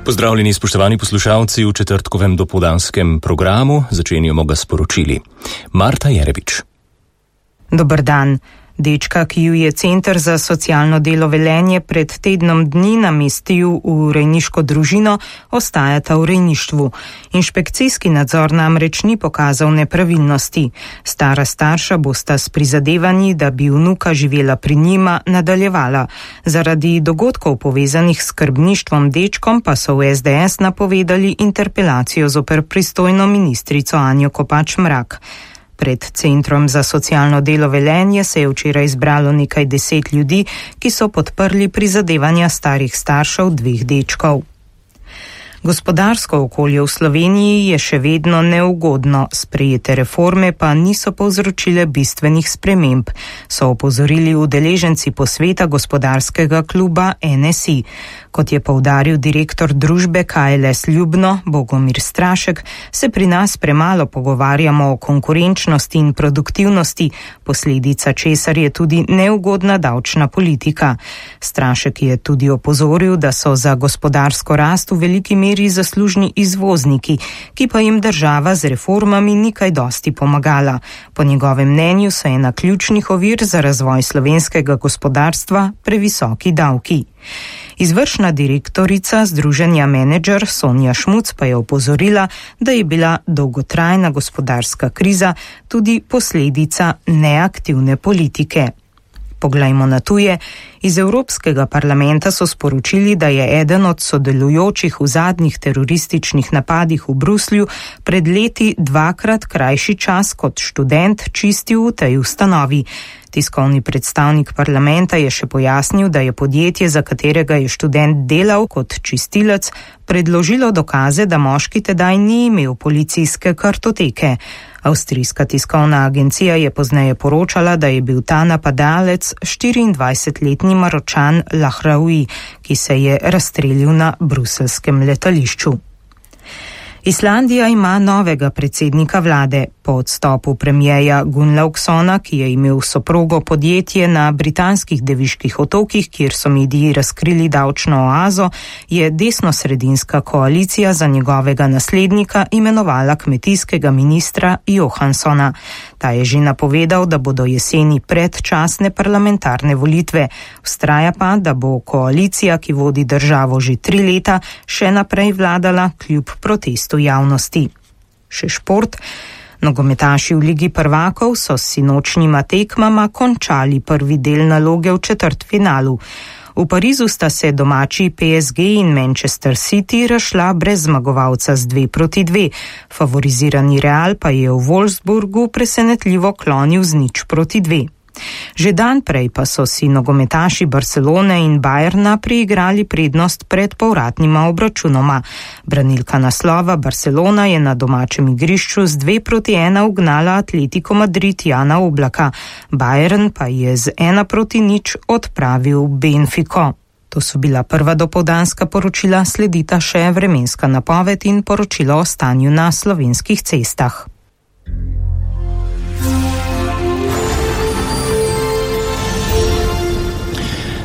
Pozdravljeni spoštovani poslušalci v četrtkovem dopoldanskem programu, začenjamo ga sporočili. Marta Jerebič. Dober dan. Dečka, ki ju je Center za socialno delo Velenje pred tednom dni namestil v rejniško družino, ostajata v rejništvu. Inšpekcijski nadzor namreč ni pokazal nepravilnosti. Stara starša bosta s prizadevanji, da bi vnuka živela pri njima, nadaljevala. Zaradi dogodkov povezanih s skrbništvom dečkom pa so v SDS napovedali interpelacijo zoper pristojno ministrico Anjo Kopač Mrak. Pred Centrom za socialno delo Velenje se je včeraj zbralo nekaj 10 ljudi, ki so podprli prizadevanja starih staršev dveh dečkov. Gospodarsko okolje v Sloveniji je še vedno neugodno, sprejete reforme pa niso povzročile bistvenih sprememb, so opozorili udeleženci posveta gospodarskega kluba NSI. Kot je poudaril direktor družbe KLS Ljubno, Bogomir Strašek, se pri nas premalo pogovarjamo o konkurenčnosti in produktivnosti, posledica česar je tudi neugodna davčna politika. Strašek je tudi opozoril, da so za gospodarsko rast v veliki meri zaslužni izvozniki, ki pa jim država z reformami ni kaj dosti pomagala. Po njegovem mnenju so ena ključnih ovir za razvoj slovenskega gospodarstva previsoki davki. Izvršna direktorica Združenja Menedžer Sonja Šmuc pa je opozorila, da je bila dolgotrajna gospodarska kriza tudi posledica neaktivne politike. Poglejmo na tuje. Iz Evropskega parlamenta so sporočili, da je eden od sodelujočih v zadnjih terorističnih napadih v Bruslju pred leti 2-krat krajši čas kot študent čistil v tej ustanovi. Tiskovni predstavnik parlamenta je še pojasnil, da je podjetje, za katerega je študent delal kot čistilec, predložilo dokaze, da moški tedaj ni imel policijske kartoteke. Avstrijska tiskovna agencija je pozneje poročala, da je bil ta napadalec 24-letni Maročan Lahraoui, ki se je razstrelil na bruseljskem letališču. Islandija ima novega predsednika vlade. Po odstopu premierja Gunnlaugsona, ki je imel soprogo podjetje na britanskih Deviških otokih, kjer so mediji razkrili davčno oazo, je desnosredinska koalicija za njegovega naslednika imenovala kmetijskega ministra Johanssona. Ta je že napovedal, da bodo jeseni predčasne parlamentarne volitve. Vztraja pa, da bo koalicija, ki vodi državo že 3 leta, še naprej vladala kljub protestu javnosti. Še šport. Nogometaši v Ligi prvakov so s sinočnjima tekmama končali prvi del naloge v četrtfinalu. V Parizu sta se domači PSG in Manchester City razšla brez zmagovalca z 2-2. Favorizirani Real pa je v Wolfsburgu presenetljivo klonil z 0-2. Že dan prej pa so si nogometaši Barcelone in Bayerna priigrali prednost pred povratnima obračunoma. Branilka naslova Barcelona je na domačem igrišču z 2-1 ugnala Atletico Madrid Jana Oblaka. Bayern pa je z 1-0 odpravil Benfico. To so bila prva dopoldanska poročila, sledita še vremenska napoved in poročilo o stanju na slovenskih cestah.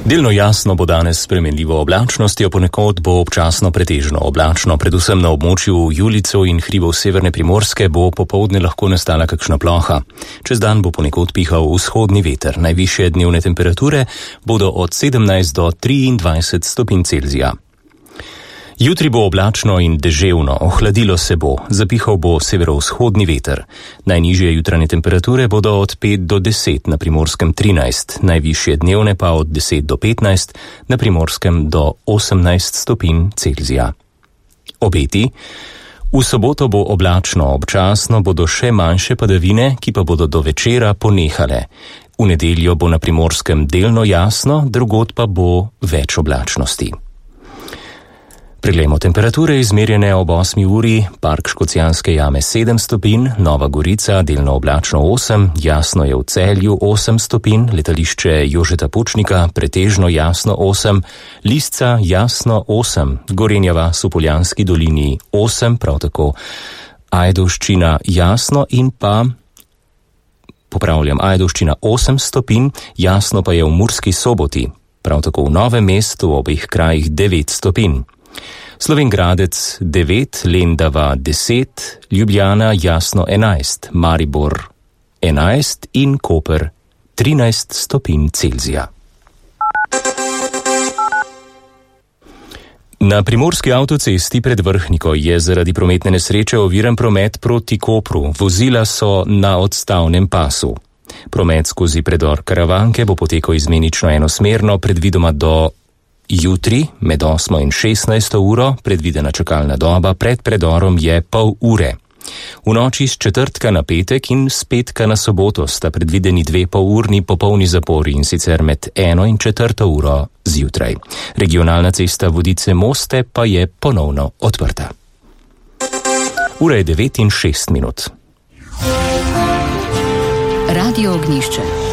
Delno jasno bo danes s spremenljivo oblačnostjo, ponekod bo občasno pretežno oblačno, predvsem na območju Julicev in hribov severne Primorske bo popoldne lahko nastala kakšna ploha. Čez dan bo ponekod pihal vzhodni veter, najvišje dnevne temperature bodo od 17 do 23 stopinj Celzija. Jutri bo oblačno in deževno, ohladilo se bo, zapihal bo severovzhodni veter. Najnižje jutranje temperature bodo od 5 do 10, na Primorskem 13, najvišje dnevne pa od 10 do 15, na Primorskem do 18 stopinj Celzija. Obeti. V soboto bo oblačno, občasno bodo še manjše padavine, ki pa bodo do večera ponehale. V nedeljo bo na Primorskem delno jasno, drugod pa bo več oblačnosti. Preglejmo temperature izmerjene ob 8 uri, Park Škocjanske jame 7 stopinj, Nova Gorica delno oblačno 8, jasno je v Celju 8 stopinj, letališče Jožeta Pučnika pretežno jasno 8, Lisca jasno 8, Gorenja vas v Poljanski dolini 8, prav tako Ajdovščina jasno in pa, Ajdovščina 8 stopinj, jasno pa je v Murski Soboti, prav tako v Novem mestu v obeh krajih 9 stopinj. Slovenj Gradec 9, Lendava 10, Ljubljana Jasno 11, Maribor 11 in Koper 13 stopinj Celzija. Na primorski avtocesti pred Vrhniko je zaradi prometne nesreče oviran promet proti Kopru. Vozila so na odstavnem pasu. Promet skozi predor Karavanke bo potekal izmenično enosmerno, predvidoma do jutri med 8 in 16 uro. Predvidena čakalna doba pred predorom je pol ure. V noči z četrtka na petek in z petka na soboto sta predvideni 2 polurni popolni zapori, in sicer med 1 in 4 uro zjutraj. Regionalna cesta Vodice-Moste pa je ponovno odprta. Ura je 9:06. Radio Ognjišče.